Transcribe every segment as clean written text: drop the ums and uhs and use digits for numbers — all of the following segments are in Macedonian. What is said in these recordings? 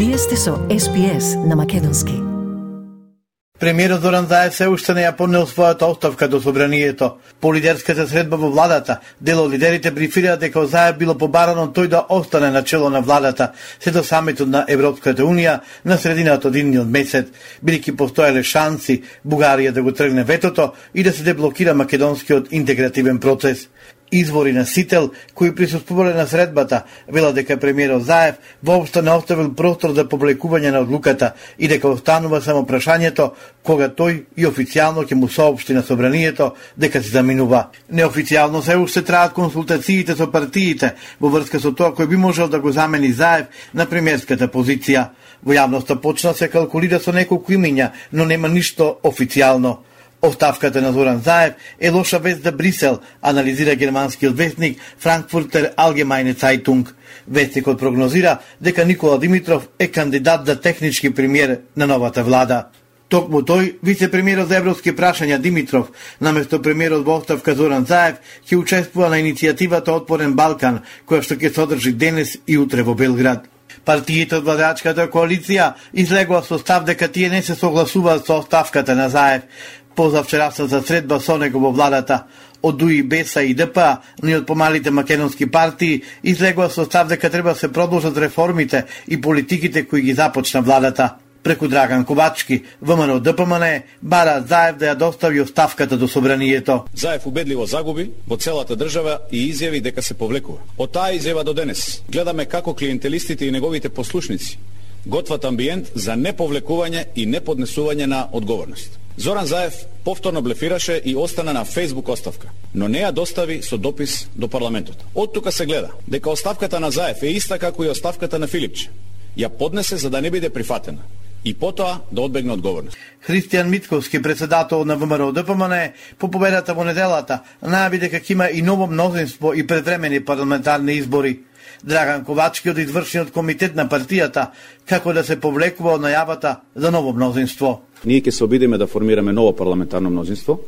Вие сте со SPS на македонски. Премиерот Зоран Заев се уште не ја поднел својата оставка до собранието. По лидерската средба во владата, дел од лидерите брифираа дека Заев било побарано тој да остане на чело на владата се до самитот на Европската унија на средината од идниот месец, бидејќи постоеле шанси Бугарија да го тргне ветото и да се деблокира македонскиот интегративен процес. Извори на Сител, кои присуствувале на средбата, велат дека премиерот Заев воопшто не оставил простор за публикување на одлуката и дека останува само прашањето кога тој и официјално ќе му соопшти на собранието дека се заминува. Неофицијално се уште траат консултациите со партиите во врска со тоа кој би можел да го замени Заев на премиерската позиција. Во јавноста почна се калкулира со неколку имиња, но нема ништо официјално. Оставката на Зоран Заев е лоша вест за Брисел, анализира германскиот вестник Frankfurter Allgemeine Zeitung. Вестникот прогнозира дека Никола Димитров е кандидат за технички премиер на новата влада. Токму тој, вице-премиерот за европски прашања Димитров, наместо премиерот во оставка Зоран Заев, ќе учествува на иницијативата Отворен Балкан, која што ќе се одржи денес и утре во Белград. Партиите од владачката коалиција излегува со став дека тие не се согласуваат со оставката на Заев. Позавчерасната средба со него во владата од ДУИ, БЕСА и ДПА, но и од помалите македонски партии излегува со став дека треба да се продолжат реформите и политиките кои ги започна владата. Преку Драган Ковачки, ВМРО ДПМН, бара Заев да ја достави оставката до собранието. Заев убедливо загуби во целата држава и изјави дека се повлекува. Од таа изјава до денес гледаме како клиентелистите и неговите послушници готват амбиент за неповлекување и неподнесување на одговорност. Зоран Заев повторно блефираше и остана на Facebook оставка, но не ја достави со допис до парламентот. Од тука се гледа дека оставката на Заев е иста како и оставката на Филипче. Ја поднесе за да не биде прифатена и потоа да одбегне одговорност. Христијан Митковски, председател на ВМРО ДПМН, по победата во неделата најави дека ќе има и ново мнозинство и предвремени парламентарни избори. Драган Ковачки од извршниот комитет на партијата како да се повлекува од најавата за ново мнозинство. Ние ќе се обидиме да формираме ново парламентарно мнозинство,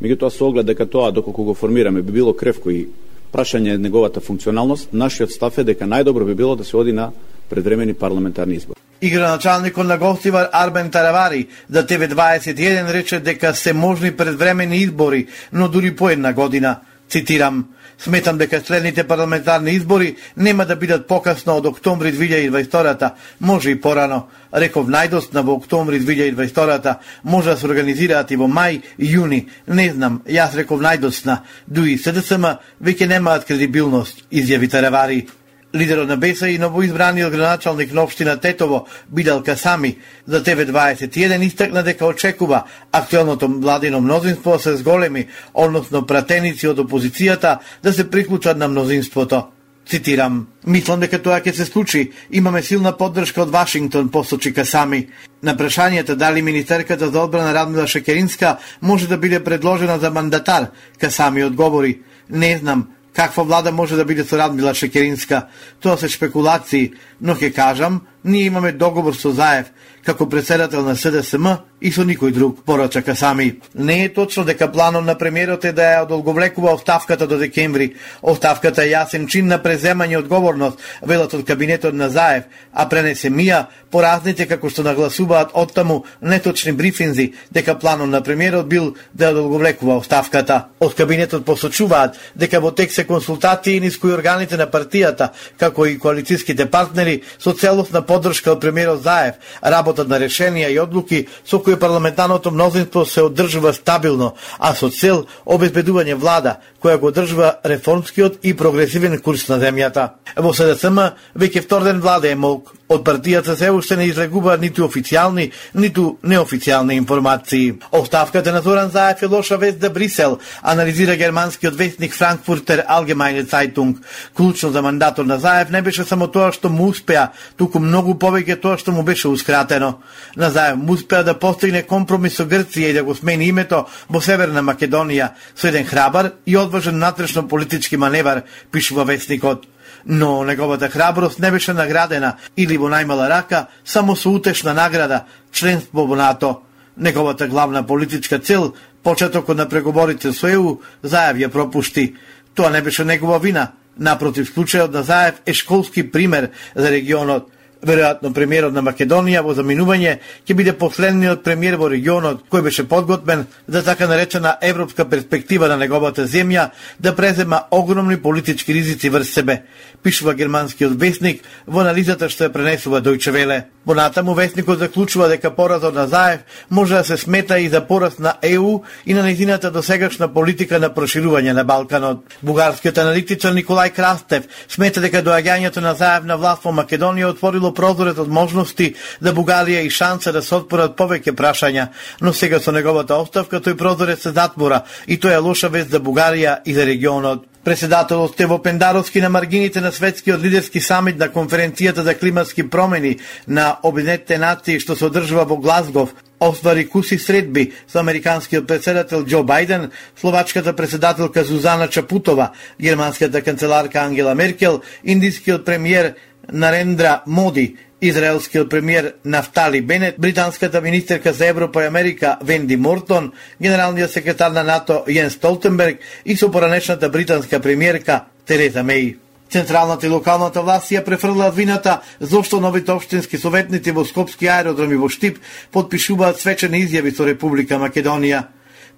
меѓутоа со оглед дека тоа доколку го формираме би било кревко и прашање неговата функционалност, нашиот став е дека најдобро би било да се оди на предвремени парламентарни избори. И градоначалникот на Гостивар Арбен Таравари за TV21 рече дека се можни предвремени избори, но дури по една година. Цитирам: "Сметам дека следните парламентарни избори нема да бидат покасно од октомври 2022, може и порано. Реков најдосна во октомври 2022, може да се организираат и во мај и јуни. Не знам, јас реков најдосна. ДУИ СДСМ веќе немаат кредибилност", изјави Таравари. Лидерот на БЕСА и новоизбраниот градоначалник на општина Тетово, Бидал Касами, за TV21 истакна дека очекува актуелното владино мнозинство се зголеми, односно пратеници од опозицијата да се приклучат на мнозинството. Цитирам: "Мислам дека тоа ќе се случи. Имаме силна поддршка од Вашингтон", посочи Касами. На прашањето дали министерката за одбрана Радмила Шекеринска може да биде предложена за мандатар, Касами одговори: "Не знам каква влада може да биде со Радмила Шекеринска. Тоа се шпекулации, но ќе кажам, ние имаме договор со Заев како председател на СДСМ и со никој друг", порача Касами. Не е точно дека планот на премиерот е да ја одолговлекува оставката до декември. Оставката е јасен чин на преземање одговорност, велат од кабинетот на Заев, а пренесе мија по разните како што нагласуваат оттаму неточни брифинзи дека планот на премиерот бил да ја одолговлекува оставката. Од кабинетот посочуваат дека во тек се консултации низ кои органите на партијата, како и коалицијските партнери со целосна поддршка од премиерот Заев, работат на решенија и одлуки со кои парламентарното мнозинство се одржува стабилно, а со цел обезбедување влада која го одржува реформскиот и прогресивен курс на земјата. Во СДСМ веќе втор ден влада е молк. Од партијата се уште не излегуваат ниту официјални, ниту неофицијални информации. Оставката на Зоран Заев е лоша вест за Брисел, анализира германскиот вестник Frankfurter Allgemeine Zeitung. Клучно за мандатот на Заев не беше само тоа што му успеа, туку многу повеќе тоа што му бешеускратено. На Заев му успеа да постигне компромис со Грција и да го смени името во Северна Македонија со еден храбар и одважен натрешно политички маневар, пишува вестникот. Но неговата храброст не беше наградена или во најмала рака само со утешна награда, членство во НАТО. Неговата главна политичка цел, почетокот на преговорите со ЕУ, Заев ја пропушти. Тоа не беше негова вина. Напротив, случајот на Заев е школски пример за регионот. Веројатно премиерот на Македонија во заминување ќе биде последниот премиер во регионот кој беше подготвен за така наречена европска перспектива на неговата земја да презема огромни политички ризици врз себе, пишува германскиот весник во анализата што ја пренесува Дојче Веле. Понатаму весникот заклучува дека поразот на Заев може да се смета и за пораз на ЕУ и на нејзината досегашна политика на проширување на Балканот. Бугарскиот аналитичар Николај Крастев смета дека доаѓањето на Заев на власт во Македонија отворило прозорец од можности за Бугарија и шанса да се отворат повеќе прашања, но сега со неговата оставка тој прозорец се затвора и тоа е лоша вест за Бугарија и за регионот. Председателот Стево Пендаровски на маргините на светскиот лидерски самит на конференцијата за климатски промени на Обединетите нации што се одржува во Глазгов оствари куси средби со американскиот председател Џо Бајден, словачката председателка Зузана Чапутова, германската канцеларка Ангела Меркел, индискиот премиер Нарендра Моди, израелскиот премиер Нафтали Бенет, британската министерка за Европа и Америка Венди Мортон, генералниот секретар на НАТО Јен Столтенберг и со поранешната британска премиерка Тереза Меј. Централната и локалната власт ја префрлаат вината зошто новите општински советници во Скопски аеродром и во Штип потпишуваат свечени изјави со Република Македонија.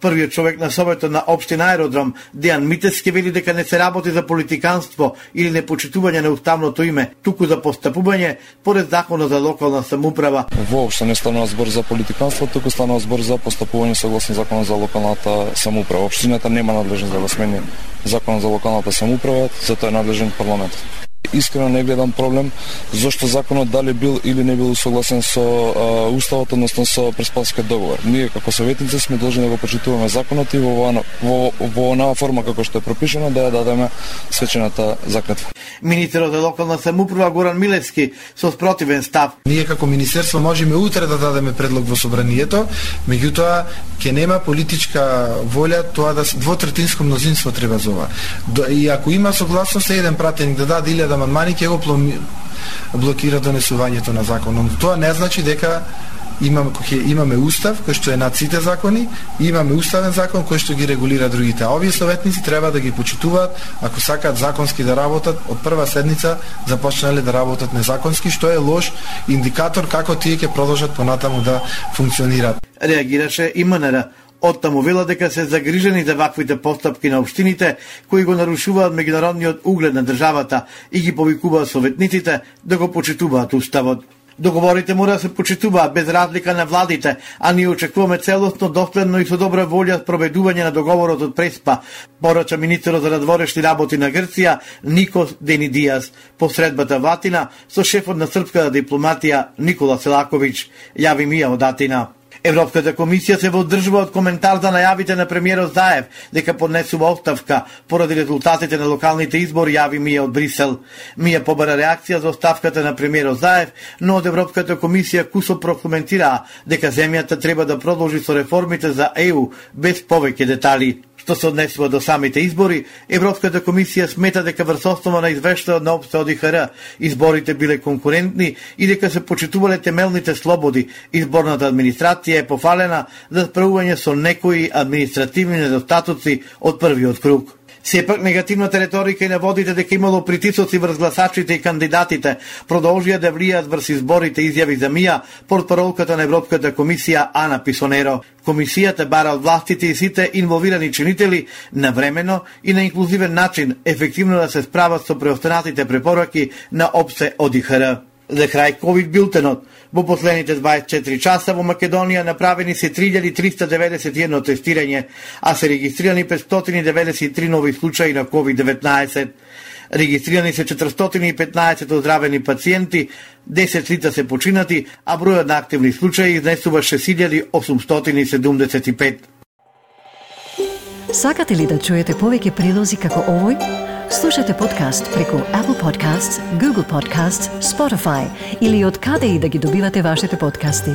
Првиот човек на Советот на општина Аеродром, Дејан Митевски, вели дека не се работи за политиканство или непочитување на уставното име, туку за постапување поред законот за локална самоуправа. Воопшто не станува збор за политиканство, туку станува збор за постапување согласно законот за локалната самоуправа. Општината нема надлежност да го смени законот за локалната самоуправа, затоа е надлежен парламентот. Искрено не гледам проблем зошто законот дали бил или не бил согласен со уставот, односно со Преспанскиот договор. Ние како советници сме должни да го почитуваме законот и во онаа форма како што е пропишано да ја дадеме свечената заклетва. Министерот за локална самоуправа Горан Милевски со спротивен став. Ние како министерство можеме утре да дадеме предлог во собранието, меѓутоа ќе нема политичка волја тоа да двотретинско мнозинство треба за ова. И ако има согласност еден пратеник да даде 1000 амандмани, ќе го блокира донесувањето на законот. Тоа не значи дека имаме устав кој што е над сите закони, и имаме уставен закон кој што ги регулира другите. А овие советници треба да ги почитуваат ако сакаат законски да работат. Од прва седница започнале да работат незаконски, што е лош индикатор како тие ќе продолжат понатаму да функционираат. Реагираше и МНР. Оттаму вела дека се загрижени за ваквите постапки на општините кои го нарушуваат меѓународниот углед на државата и ги повикуваат советниците да го почитуваат уставот. Договорите мора да се почитуваат без разлика на владите, а ние очекуваме целосно, доследно и со добра волја спроведување на договорот од Преспа, порача министерот за надворешни работи на Грција Никос Денидијас посредбата во Атина со шефот на српската дипломатија Никола Селаковиќ, јави Мија од Атина. Европската комисија се вооддржува од коментар за најавите на премиерот Заев дека поднесува оставка поради резултатите на локалните избори, јави Мија од Брисел. Мија побара реакција за оставката на премиерот Заев, но од Европската комисија кусо прокоментираа дека земјата треба да продолжи со реформите за ЕУ без повеќе детали. Што се однесува до самите избори, Европската комисија смета дека врз основа на извештајот на ОПСЕ ОДИХР изборите биле конкурентни и дека се почитувале темелните слободи. Изборната администрација е пофалена за справување со некои административни недостатоци од првиот круг. Сепак негативната реторика и наводите дека имало притисоци врз гласачите и кандидатите продолжија да влијаат врз изборите, изјави за Мија портпаролката на Европската комисија Ана Писонеро. Комисијата бара од властите и сите инволвирани чинители навремено и на инклузивен начин ефективно да се справат со преостанатите препораки на ОПСЕ ОДИХР. За крај ковид билтенот. Во последните 24 часа во Македонија направени се 3391 тестирање, а се регистрирани 593 нови случаи на COVID-19. Регистрирани се 415 оздравени пациенти, 10 лица се починати, а бројот на активни случаи изнесува 6875. Сакате ли да чуете повеќе прилози како овој? Слушате подкаст преку Apple Podcasts, Google Podcasts, Spotify или од каде и да ги добивате вашите подкасти.